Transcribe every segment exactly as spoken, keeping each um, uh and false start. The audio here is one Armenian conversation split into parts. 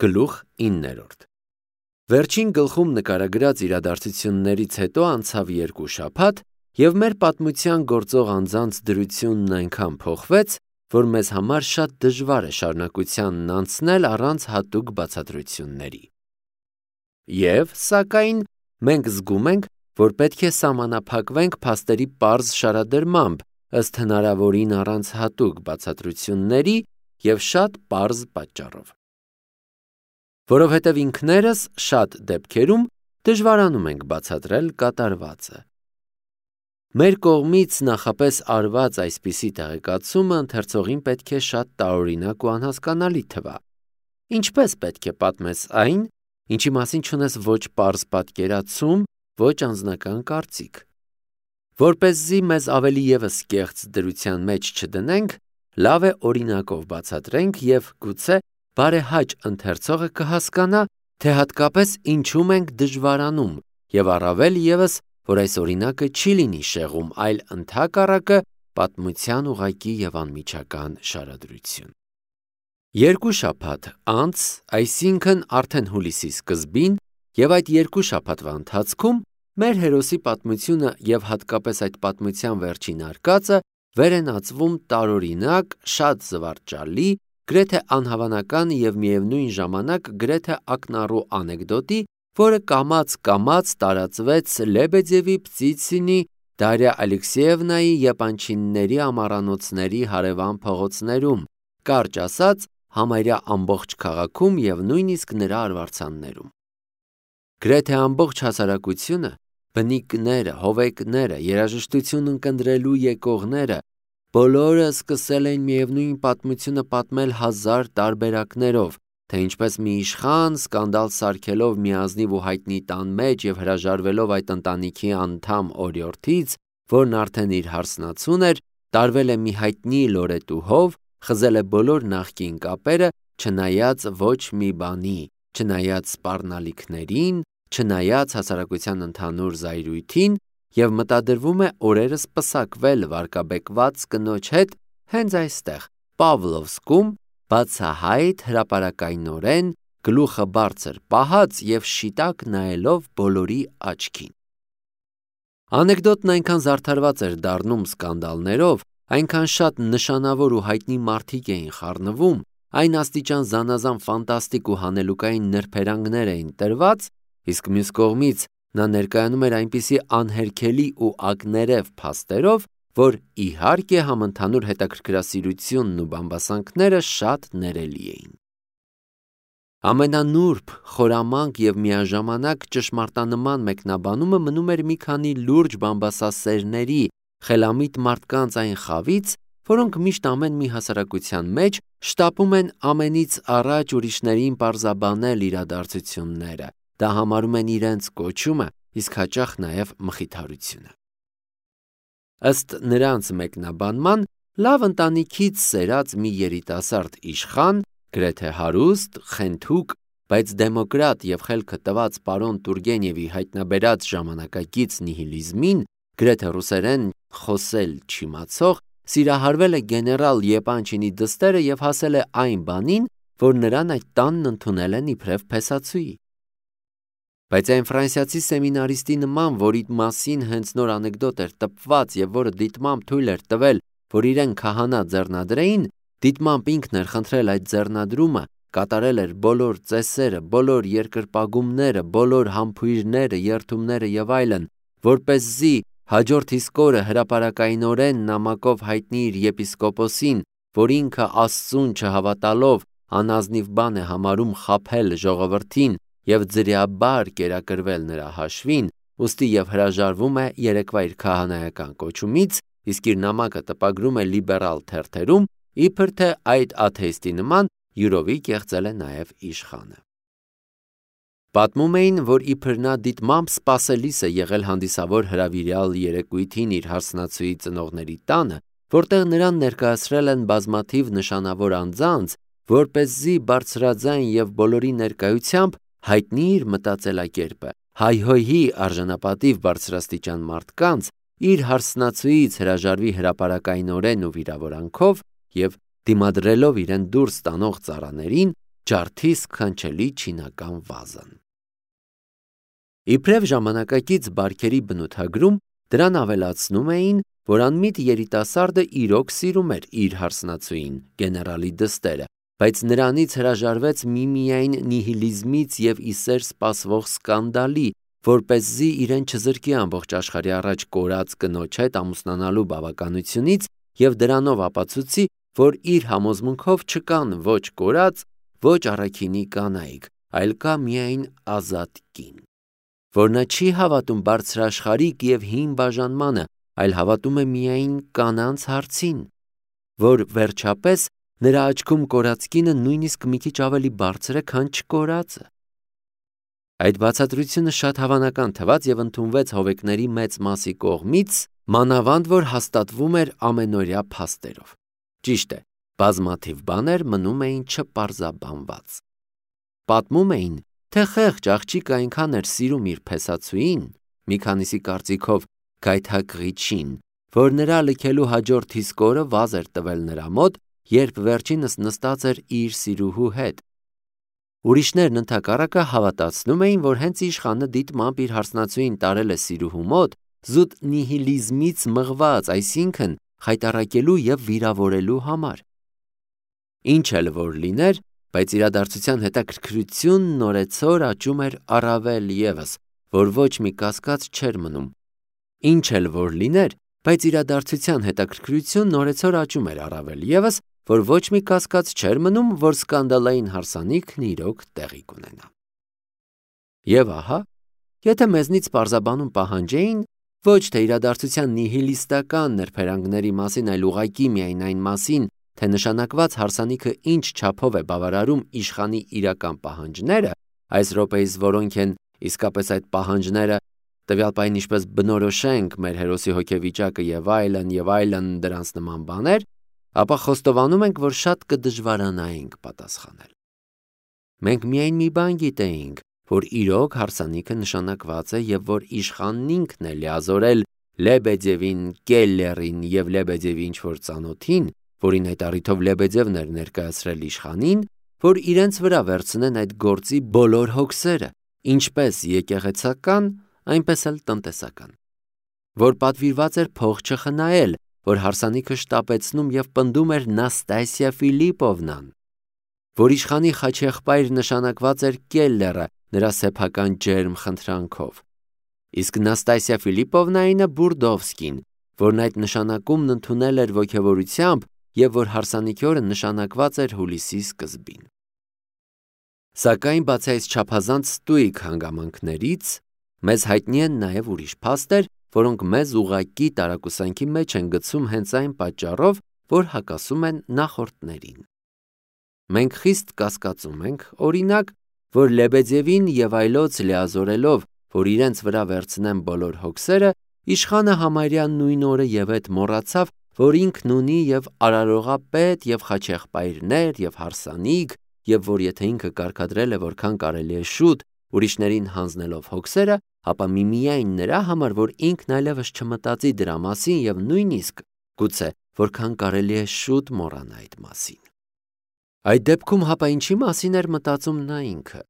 Գլուխ իններորդ Վերջին գլխում նկարագրած իրադարձություններից հետո անցավ երկու շաբաթ, և մեր պատմության գործող անձանց դրությունն այնքան փոխվեց, որ մեզ համար շատ դժվար է շարունակությանն անցնել առանց հատուկ բացատրությունների։ Եվ, սակայն, մենք զգում ենք, որ պետք է սահմանափակվենք փաստերի պարզ շարադրմամբ, ըստ հնարավորին առանց հատուկ բացատրությունների և շատ պարզ պատճառով։ Որովհետև ինքներս շատ դեպքերում դժվարանում ենք բացատրել կատարվածը։ Մեր կողմից նախապես արված այսպիսի տեղեկացումը ընթերցողին պետք է շատ տարօրինակ ու անհասկանալի թվա։ Ինչպես պետք է պատմես այն, ինչի մասին չունես ոչ պարզ պատկերացում, ոչ անձնական կարծիք։ Որպեսզի մեզ ավելի ևս կեղծ դրության մեջ չդնենք, լավ է օրինակով բացատրենք և գուցե բարեհաճ ընթերցողը կհասկանա, թե հատկապես ինչում ենք դժվարանում և առավել ևս, որ այս օրինակը չի լինի շեղում, այլ ընդհակառակը պատմության ուղղակի և անմիջական շարադրություն։ Երկու շաբաթ անց, այսինքն արդեն հուլիսի սկզբին, և այդ երկու շաբաթվա ընթացքում մեր հերոսի պատմությունը և հատկապես այդ պատմության վերջին արկածը վեր են ածվում տարօրինակ, շատ զվարճալի, գրեթե անհավանական և միևնույն ժամանակ գրեթե ակնառու անեկդոտի, որը կամաց-կամաց տարածվեց Լեբեդևի, Պտիցինի, Դարիա Ալեքսեևնայի եպանչինիների ամառանոցների հարևան փողոցներում, կարճ ասած, համարյա ամբողջ քաղաքում և նույնիսկ նրա արվարձաններում։ Գրեթե ամբողջ հասարակությունը, բնիկները, հովեկները, երաժշտություն ընկնդրելու եկողները, բոլորը սկսել էին միևնույն պատմությունը պատմել հազար տարբերակներով, թե ինչպես մի իշխան, սկանդալ սարքելով մի ազնիվ ու հայտնի տան մեջ և հրաժարվելով այդ ընտանիքի անդամ օրիորդից, որն արդեն իր հարսնացուն էր, տարվել է մի հայտնի լորետուհով, խզել է բոլոր նախկին կապերը, չնայած ոչ մի բանի, չնայած սպառնալիքներին, չնայած հասարակության ընդհանուր զայրույթին, և մտադրվում է օրերս պսակվել վարկաբեկված կնոջ հետ հենց այստեղ, Պավլովսկում, բացահայտ հրապարակայնորեն, գլուխը բարձր պահած և շիտակ նայելով բոլորի աչքին։ Անեկդոտն այնքան զարդարված էր դառնում սկանդալներով, այնքան շատ նշանավոր ու հայտնի մարդիկ էին խառնվում, այն աստիճան զանազան ֆանտաստիկ ու հանելուկային նրբերանգներ էին տրված, իսկ մյուս կողմից նա ներկայանում էր այնպիսի անհերքելի ու ակներև փաստերով, որ իհարկե համընդհանուր հետաքրքրասիրությունն ու բամբասանքները շատ ներելի էին։ Ամենանուրբ, խորամանկ և միաժամանակ ճշմարտանման մեկնաբանումը մնում էր մի քանի լուրջ բամբասասերների, խելամիտ մարդկանց այն խավից, որոնք միշտ ամեն մի հասարակության մեջ շտապում են ամենից առաջ ուրիշներին պարզաբանել իրադարձությունները, դա համարում են իրենց կոչումը, իսկ հաճախ նաև մխիթարությունը։ Ըստ նրանց մեկնաբանման, լավ ընտանիքից սերած մի երիտասարդ իշխան, գրեթե հարուստ, խենթուկ, բայց դեմոկրատ և խելքը տված պարոն Տուրգենևի հայտնաբերած ժամանակակից նիհիլիզմին, գրեթե ռուսերեն խոսել չիմացող, սիրահարվել է գեներալ Եպանչինի դստերը և հասել է այն բանին, որ նրան այդ տանն ընդունել են իբրև փեսացուի։ Բայց այն ֆրանսիացի սեմինարիստի նման, որի մասին հենց նոր անեկդոտ էր տպված և որը դիտմամբ թույլ էր տվել, որ իրեն քահանա ձեռնադրեին, դիտմամբ ինքն էր խնդրել այդ ձեռնադրումը, կատարել էր բոլոր ծեսերը, բոլոր երկրպագումները, բոլոր համբույրները, երդումները և այլն, որպեսզի հաջորդ իսկ օրը հրապարակայնորեն նամակով հայտնի իր եպիսկոպոսին, որ ինքը Աստծուն չհավատալով անազնիվ բան է համարում խաբել ժողովրդին և ձրիաբար կերակրվել նրա հաշվին, ուստի և հրաժարվում է երեկվա իր քահանայական կոչումից, իսկ իր նամակը տպագրում է լիբերալ թերթերում, իբր թե այդ աթեիստի նման յուրովի կեղծել է նաև իշխանը։ Պատմում էին, որ իբր նա դիտմամբ սպասելիս է եղել հանդիսավոր հրավիրյալ երեկույթին իր հարսնացուի ծնողների տանը, որտեղ նրան ներկայացրել են բազմաթիվ նշանավոր անձանց, որպեսզի բարձրաձայն և բոլորի ներկայությամբ հայտնի իր մտածելակերպը, հայհոյի արժանապատիվ բարձրաստիճան մարդկանց, իր հարսնացուից հրաժարվի հրապարակայնորեն ու վիրավորանքով և դիմադրելով իրեն դուրս տանող ծառաներին, ջարդի սքանչելի չինական վազան։ Իբրև ժամանակակից բարքերի բնութագրում դրան ավելացնում էին, որ անմիտ երիտասարդը իրոք սիրում էր իր հարսնացուին, գեներալի դստերը, բայց նրանից հրաժարվեց միմիայն նիհիլիզմից և իսեր սպասվող սկանդալի, որպեսզի իրեն չզրկի ամբողջ աշխարհի առաջ կորած կնոջ հետ ամուսնանալու բավականությունից և դրանով ապացուցի, որ իր համոզմունքով չկան ոչ կորած, ոչ առաքինի կանայք, այլ կա միայն ազատ կին, որ նա չի հավատում բարձրաշխարհիկ և հին բաժանմանը, այլ հավատում է միայն կանանց հարցին, որ վերջապես նրա աչքում կորած կինը նույնիսկ մի քիչ ավելի բարձր է, քան չկորածը։ Այդ բացատրությունը շատ հավանական թվաց և ընդունվեց հովեկների մեծ մասի կողմից, մանավանդ որ հաստատվում էր ամենօրյա փաստերով։ Ճիշտ է, բազմաթիվ բաներ մնում էին չպարզաբանված։ Պատմում էին, թե խեղճ աղջիկը այնքան էր սիրում իր փեսացուին, մի քանիսի կարծիքով գայթակղիչին, որ նրա լքելու հաջորդ իսկ օրը վազ էր տվել նրա մոտ, երբ վերջինս նստած էր իր սիրուհու հետ։ Ուրիշներն ընդհակառակը հավատացնում էին, որ հենց իշխանը դիտմամբ իր հարսնացուին տարել է սիրուհու մոտ, զուտ նիհիլիզմից մղված, այսինքն խայտառակելու և վիրավորելու համար։ Ինչ էլ որ լիներ, բայց իրադարձության հետաքրքրությունն օրեցօր աճում էր առավել ևս, որ ոչ մի կասկած չէր մնում։ Ինչ էլ որ լիներ, բայց իրադարձության հետաքրքրությունն օրեցօր աճում էր առավել ևս, որ ոչ մի կասկած չէր մնում, որ սկանդալային հարսանիքն իրոք տեղի կունենա։ Եվ ահա, եթե մեզնից պարզաբանում պահանջեին, ոչ թե իրադարձության նիհիլիստական նրբերանգների մասին, այլ ուղղակի միայն այն մասին, թե նշանակված հարսանիքը ինչ չափով է բավարարում իշխանի իրական պահանջները, այս րոպեիս որոնք են իսկապես այդ պահանջները, տվյալ պահին ինչպես բնորոշենք մեր հերոսի հոգեվիճակը և այլն և այլն դրանց նման բաներ, ապա խոստովանում ենք, որ շատ կդժվարանայինք պատասխանել։ Մենք միայն մի բան գիտեինք, որ իրոք հարսանիքը նշանակված է և որ իշխանն ինքն է լիազորել Լեբեդևին, Կելլերին և Լեբեդևի ինչ-որ ծանոթին, որին այդ առիթով Լեբեդևն էր ներկայացրել իշխանին, որ իրենց վրա վերցնեն այդ գործի բոլոր հոգսերը, ինչպես եկեղեցական, այնպես էլ տնտեսական, որ պատվիրված էր փող չխնայել, որ հարսանիքը շտապեցնում և պնդում էր Նաստասիա Ֆիլիպովնան, որ իշխանի խաչեղբայր նշանակված էր Կելլերը նրա սեփական ջերմ խնդրանքով, իսկ Նաստասիա Ֆիլիպովնայինը Բուրդովսկին, որն այդ նշանակումն ընդունել էր ոգևորությամբ և որ հարսանիքի օրը նշանակված էր հուլիսի սկզբին։ Սակայն բացի այս չափազանց ստույգ հանգամանքներից, մեզ հայտնի են նաև ուրիշ փաստեր, որոնք մեզ ուղղակի տարակուսանքի մեջ են գցում հենց այն պատճառով, որ հակասում են նախորդներին։ Մենք խիստ կասկածում ենք, օրինակ, որ Լեբեդևին և այլոց լիազորելով, որ իրենց վրա վերցնեն բոլոր հոգսերը, իշխանը համարյա նույն օրը և հետ մոռացավ, որ ինքն ունի և արարողապետ և խաչեղբայրներ և հարսանիք, և որ եթե ինքը կարգադրել է որքան կարելի է շուտ, ուրիշներին հանձնելով հոգսերը, ապա միմիայն նրա համար, որ ինքն այլևս չմտածի դրա մասին և նույնիսկ գուցե որքան կարելի է շուտ մոռանա այդ մասին։ Այդ դեպքում հապա ինչի մասին էր մտածում նա ինքը,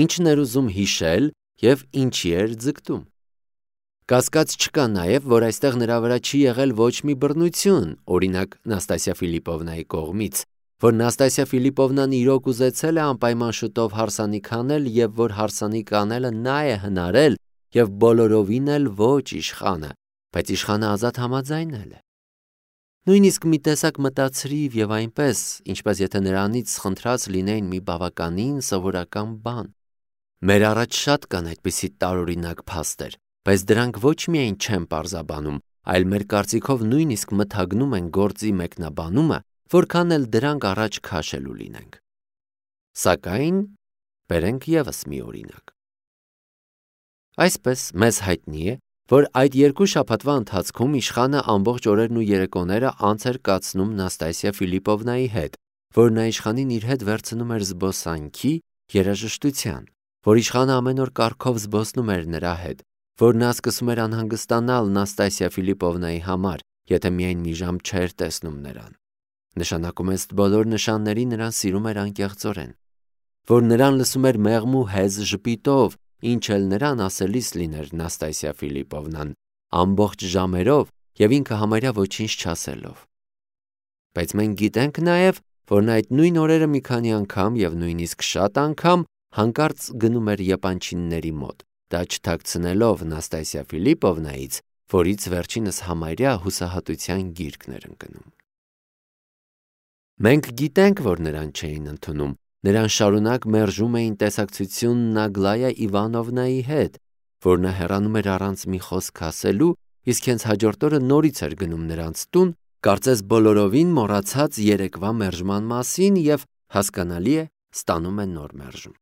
ինչն էր ուզում հիշել և ինչի էր ձգտում։ Կասկած չկա նաև, որ այստեղ նրա վրա չի եղել ոչ մի բռնություն, օրինակ Նաստասիա Ֆիլիպովնայի կողմից, որ Նաստասիա Ֆիլիպովնան իրոք ուզեցել է անպայման շուտով հարսանիք անել և որ հարսանիք անելը նա է հնարել և բոլորովին էլ ոչ իշխանը, բայց իշխանը ազատ համաձայնել է։ Նույնիսկ մի տեսակ մտածրիվ և այնպես, ինչպես եթե նրանից խնդրած լինեին մի բավականին սովորական բան։ Մեր առաջ շատ կան այդպիսի տարօրինակ փաստեր, բայց դրանք ոչ միայն չեն պարզաբանում, այլ մեր կարծիքով նույնիսկ մթագնում են գործի մեկնաբանումը, որքան էլ դրանք առաջ քաշելու լինենք։ Սակայն բերենք ևս մի օրինակ։ Այսպես մեզ հայտնի է, որ այդ երկու շաբաթվա ընթացքում իշխանը ամբողջ օրերն ու երեկոները անց էր կացնում Նաստասիա Ֆիլիպովնայի հետ, որ նա իշխանին իր հետ վերցնում էր զբոսանքի, երաժշտության, որ իշխանը ամեն օր կառքով զբոսնում էր նրա հետ, որ նա սկսում էր անհանգստանալ Նաստասիա Ֆիլիպովնայի համար, եթե միայն մի ժամ չէր տեսնում նրան։ Նշանակում է ըստ բոլոր նշանների նրան սիրում էր անկեղծորեն։ որ նրան լսում էր մեղմու հեզ ժպիտով, ինչ էլ նրան ասելիս լիներ Նաստասիա Ֆիլիպովնան, ամբողջ ժամերով և ինքը համարյա ոչինչ չասելով։ Բայց մենք գիտենք նաև, որ նա այդ նույն օրերը մի քանի անգամ և նույնիսկ շատ անգամ հանկարծ գնում էր եպանչինների մոտ, դա չթաքցնելով Նաստասիա Ֆիլիպովնայից, որից վերջինս համարյա հուսահատության գիրկն էր ընկնում։ Մենք գիտենք, որ նրան չէին ընդունում, նրան շարունակ մերժում էին տեսակցությունն Ագլայա Իվանովնայի հետ, որ նա հեռանում էր առանց մի խոսք ասելու, իսկ հենց հաջորդ օրը նորից էր գնում նրանց տուն, կարծես բոլորովին մոռացած երեկվա մերժման մասին և, հասկանալի է, ստանում է նոր մերժում։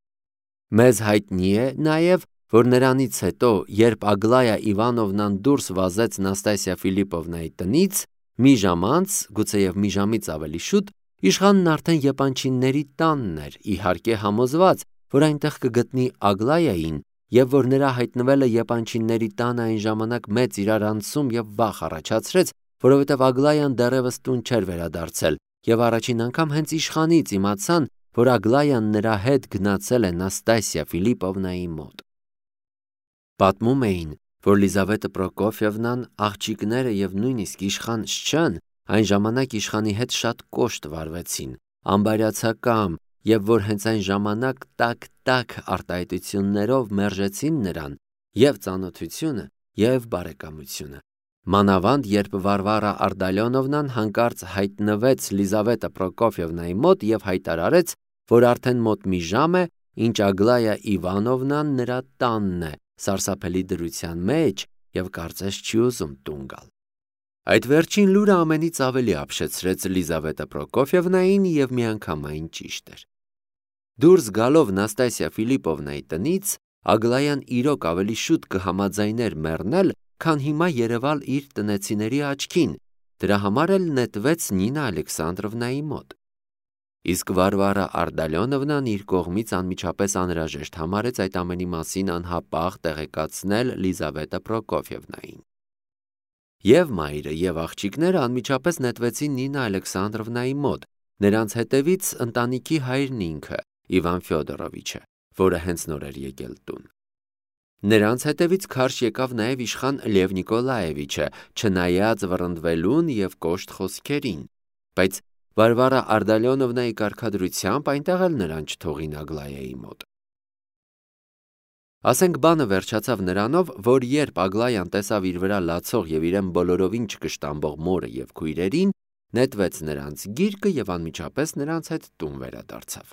Մեզ հայտնի է նաև, որ նրանից հետո, երբ Ագլայա Իվանովնան դուրս վազեց Նաստասիա Ֆիլիպովնայի տնից, մի ժամ անց, գուցեև մի ժամից ավելի շուտ, իշխանն արդեն եպանչինների տանն էր, իհարկե համոզված, որ այնտեղ կգտնի Ագլայային և որ նրա հայտնվելը եպանչինների տանը այն ժամանակ մեծ իրարանցում և վախ առաջացրեց, որովհետև Ագլայան դեռևս տուն չէր վերադարձել և առաջին անգամ հենց իշխանից իմացան, որ Ագլայան նրա հետ գնացել է Նաստասիա Ֆիլիպովնայի մոտ։ Պատմում էին, որ Լիզավետա Պրոկոֆիևնան, աղջիկները և նույնիսկ իշխան Շչան այն ժամանակ իշխանի հետ շատ կոշտ վարվեցին, անբարյացակամ, և որ հենց այն ժամանակ տաք-տաք արտահայտություններով մերժեցին նրան և ծանոթությունը, և բարեկամությունը։ Մանավանդ երբ Վարվարա Արտալյոնովնան հանկարծ հայտնվեց Լիզավետա Պրոկոֆիևնայի մոտ և հայտարարեց, որ արդեն մոտ մի ժամ է, ինչ Ագլայա Իվանովնան նրա տանն է, սարսափելի դրության մեջ և կարծես չի ուզում տուն գալ։ Այդ վերջին լուրը ամենից ավելի ապշեցրեց Լիզավետա Պրոկոֆիևնային և միանգամայն ճիշտ էր։ Դուրս գալով Նաստասիա Ֆիլիպովնայի տնից, Ագլայան իրոք ավելի շուտ կհամաձայներ մեռնել, քան հիմա երևալ իր տնեցիների աչքին, դրա համար էլ նետվեց Նինա Ալեքսանդրովնայի մոտ։ Իսկ Վարվարա Արտալյոնովնան իր կողմից անմիջապես անհրաժեշտ համարեց այդ ամենի մասին անհապաղ տեղեկացնել Լիզավետա Պրոկոֆիևնային։ Եվ մայրը, և աղջիկները անմիջապես նետվեցին Նինա Ալեքսանդրովնայի մոտ, նրանց հետևից ընտանիքի հայրն ինքը, Իվան Ֆյոդորովիչը, որը հենց նոր էր եկել տուն։ Նրանց հետևից քարշ եկավ նաև իշխան Լև Նիկոլաևիչը, չնայած վռնդվելուն և կոշտ խոսքերին, բայց Վարվարա Արտալյոնովնայի կարգադրությամբ այնտեղ էլ նրան չթողին Ագլայայի մոտ։ Ասենք բանը վերջացավ նրանով, որ երբ Ագլայան տեսավ իր վրա լացող և իրեն բոլորովին չկշտամբող մորը և քույրերին, նետվեց նրանց գիրկը և անմիջապես նրանց հետ տուն վերադարձավ։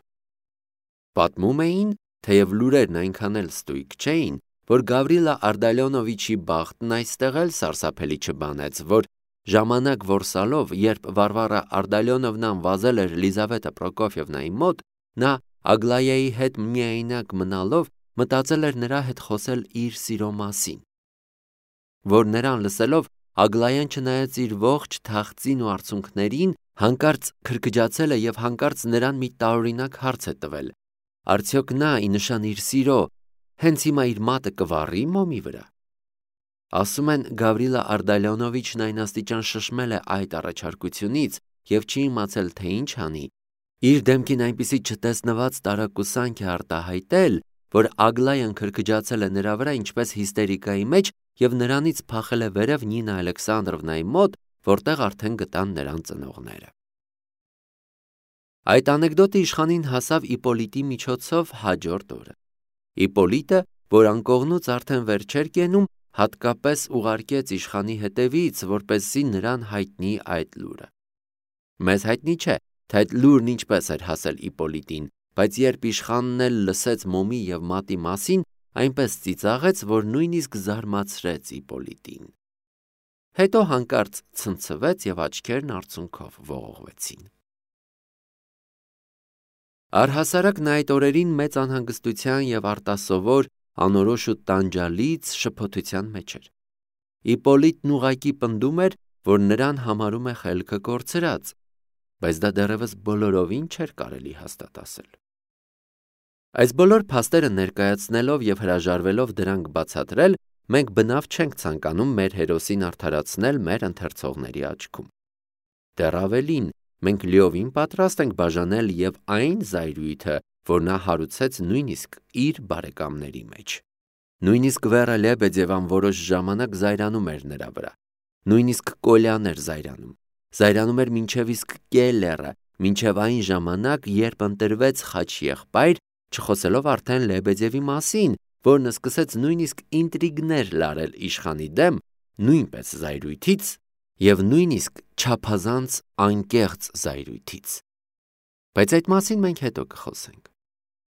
Պատմում էին, թեև լուրերն այնքան էլ ստույգ չէին, որ Գավրիլա Արտալյոնովիչի բախտն այստեղ էլ սարսափելի չբանեց, որ ժամանակ որսալով, երբ Վարվարա Արտալյոնովնան վազել էր Լիզավետա Պրոկոֆիևնայի մոտ, նա Ագլայայի հետ միայնակ մնալով մտածել էր նրա հետ խոսել իր սիրո մասին, որ նրան լսելով Ագլայան չնայած իր ողջ թախծին ու արցունքներին, հանկարծ քրքջացել է և հանկարծ նրան մի տարօրինակ հարց է տվել. արդյոք նա, ի նշան իր սիրո, հենց հիմա իր մատը կվառի մոմի վրա։ Ասում են, Գավրիլա Արտալյոնովիչն այն աստիճան շշմել է այդ առաջարկությունից և չի իմացել, թե ինչ անի, իր դեմքին այնպիսի չտեսնված տարակուսանք է արտահայտել, որ Ագլայան քրքջացել է նրա վրա ինչպես հիստերիկայի մեջ և նրանից փախել է վերև Նինա Ալեքսանդրովնայի մոտ, որտեղ արդեն գտան նրան ծնողները։ Այդ անեկդոտը իշխանին հասավ Իպոլիտի միջոցով հաջորդ օրը։ Իպոլիտը, որ անկողնուց արդեն վեր չէր կենում, հատկապես ուղարկեց իշխանի հետևից, որպեսզի նրան հայտնի այդ լուրը։ Մեզ հայտնի չէ, թե այդ լուրն ինչպես էր հասել Իպոլիտին, բայց երբ իշխանն էլ լսեց մոմի և մատի մասին, այնպես ծիծաղեց, որ նույնիսկ զարմացրեց Իպոլիտին։ Հետո հանկարծ ցնցվեց և աչքերն արցունքով ողողվեցին։ Առհասարակ նա այդ օրերին մեծ անհանգստության և արտասովոր, անորոշ ու տանջալից շփոթության մեջ էր։ Իպոլիտն ուղղակի պնդում էր, որ նրան համարում է խելքը կորցրած, բայց դա դեռևս բոլորովին չէր կարելի հաստատ ասել։ Այս բոլոր փաստերը ներկայացնելով և հրաժարվելով դրանք բացատրել, մենք բնավ չենք ցանկանում մեր հերոսին արդարացնել մեր ընթերցողների աչքում։ Դեռ ավելին, մենք լիովին պատրաստ ենք բաժանել և այն զայրույթը, որ նա հարուցեց նույնիսկ իր բարեկամների մեջ։ Նույնիսկ Վերա Լեբեդևան որոշ ժամանակ զայրանում էր նրա վրա։ Նույնիսկ Կոլյան էր զայրանում։ Զայրանում էր մինչև իսկ Կելլերը, մինչև այն ժամանակ, երբ ընտրվեց խաչեղբայր, չխոսելով արդեն Լեբեդևի մասին, որն սկսեց նույնիսկ ինտրիգներ լարել իշխանի դեմ, նույնպես զայրույթից և նույնիսկ չափազանց անկեղծ զայրույթից։ Բայց այդ մասին մենք հետո կխոսենք։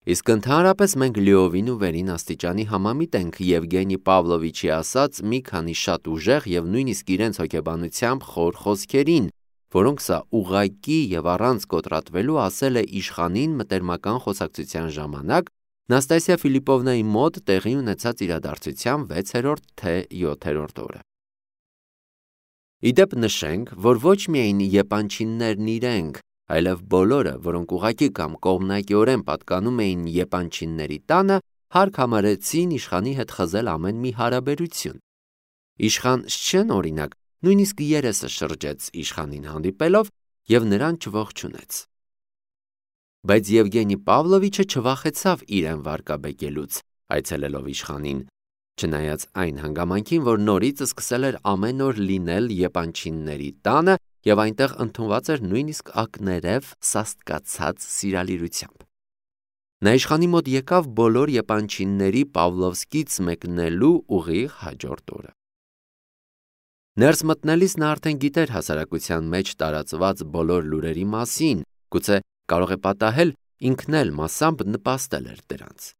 Իսկ ընդհանրապես մենք լիովին ու վերին աստիճանի համամիտ ենք Եվգենի Պավլովիչի ասած մի քանի շատ ուժեղ և նույնիսկ իրենց հոգեբանությամբ խոր խոսքերին, որոնք սա ուղղակի և առանց կոտրատվելու ասել է իշխանին մտերմական խոսակցության ժամանակ Նաստասիա Ֆիլիպովնայի մոտ տեղի ունեցած իրադարձության վեցերորդ թե յոթերորդ օրը։ Իդեպ նշենք, որ ոչ միայն եպանչիններն իրենք, այլև բոլորը, որոնք ուղղակի կամ կողմնակիորեն պատկանում էին եպանչինների տանը, հարկ համարեցին իշխանի հետ խզել ամեն մի հարաբերություն։ Իշխան Շչեն, օրինակ, նույնիսկ երեսը շրջեց իշխանին հանդիպելով և նրան չողջունեց։ Բայց Եվգենի Պավլովիչը չվախեցավ իրեն վարկաբեկելուց, այցելելով իշխանին, չնայած այն հանգամանքին, որ նորից սկսել էր ամեն օր լինել եպանչինների տանը և այնտեղ ընդունված էր նույնիսկ ակներև սաստկացած սիրալիրությամբ։ Նա իշխանի մոտ եկավ բոլոր եպանչինների Պավլովսկից մեկնելու ուղիղ հաջորդ օրը։ Ներս մտնելիս նա արդեն գիտեր հասարակության մեջ տարածված բոլոր լուրերի մասին, գուցե կարող է պատահել ինքն էլ մասամբ նպաստել էր դրանց։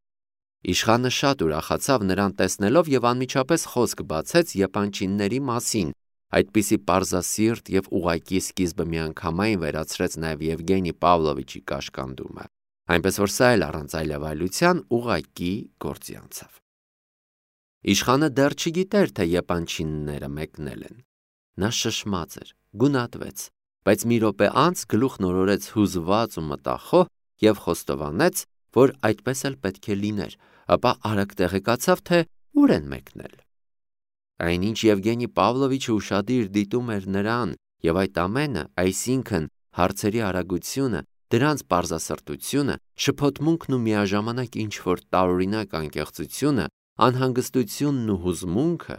Իշխանը շատ ուրախացավ նրան տեսնելով և անմիջապես խոսք բացեց եպանչինների մասին, այդպիսի պարզասիրտ և ուղղակի սկիզբը միանգամայն վերացրեց նաև Եվգենի Պավլովիչի կաշկանդումը, այնպես որ սա էլ առանց այլևայլության ուղղակի գործի անցավ։ Իշխանը դեռ չգիտեր, թե եպանչինները մեկնել են։ Նա շշմած էր, գունատվեց, բայց մի րոպե անց գլուխն օրորեց հուզված ու մտախոհ և խոստովանեց, որ այդպես էլ պետք է լիներ, ապա արագ տեղեկացավ, թե ուր են մեկնել։ Այնինչ Եվգենի Պավլովիչը ուշադիր դիտում էր նրան, և այդ ամենը, այսինքն հարցերի արագությունը, դրանց պարզասրտությունը, շփոթմունքն ու միաժամանակ ինչ-որ տարօրինակ անկեղծությունը, անհանգստությունն ու հուզմունքը,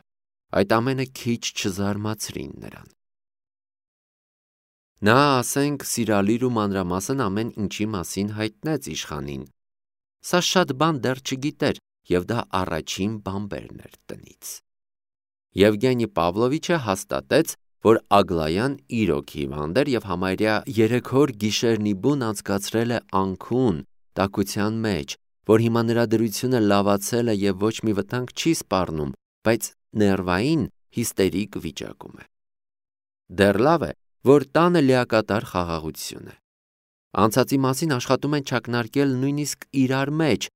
այդ ամենը քիչ չզարմացրին նրան։ Նա, ասենք, սիրալիր ու մանրամասն ամեն ինչի մասին հայտնեց իշխանին։ Սա շատ բան դեռ չգիտեր, և դա առաջին բանբերն էր տնից։ Եվգենի Պավլովիչը հաստատեց, որ Ագլայան իրոք հիվանդ էր և համարյա երեք օր գիշերն ի բուն անցկացրել է անքուն, տաքության մեջ, որ հիմա նրա դրությունը լավացել է և ոչ մի վտանգ չի սպառնում, բայց ներվային, հիստերիկ վիճակում է։ Դեռ լավ է, որ տանը լիակատար խաղաղություն է։ Անցածի մասին աշխատում են չակնարկել նույնիսկ իրար մեջ,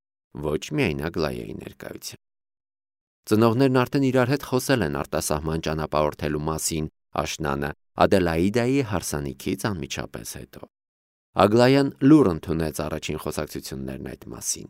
ոչ միայն Ագլայայի ներկայությամբ։ Ծնողներն արդեն իրար հետ խոսել են արտասահման ճանապարհորդելու մասին աշնանը Ադելաիդայի հարսանիքից անմիջապես հետո։ Ագլայան լուռ ընդունեց առաջին խոսակցություններն այդ մասին։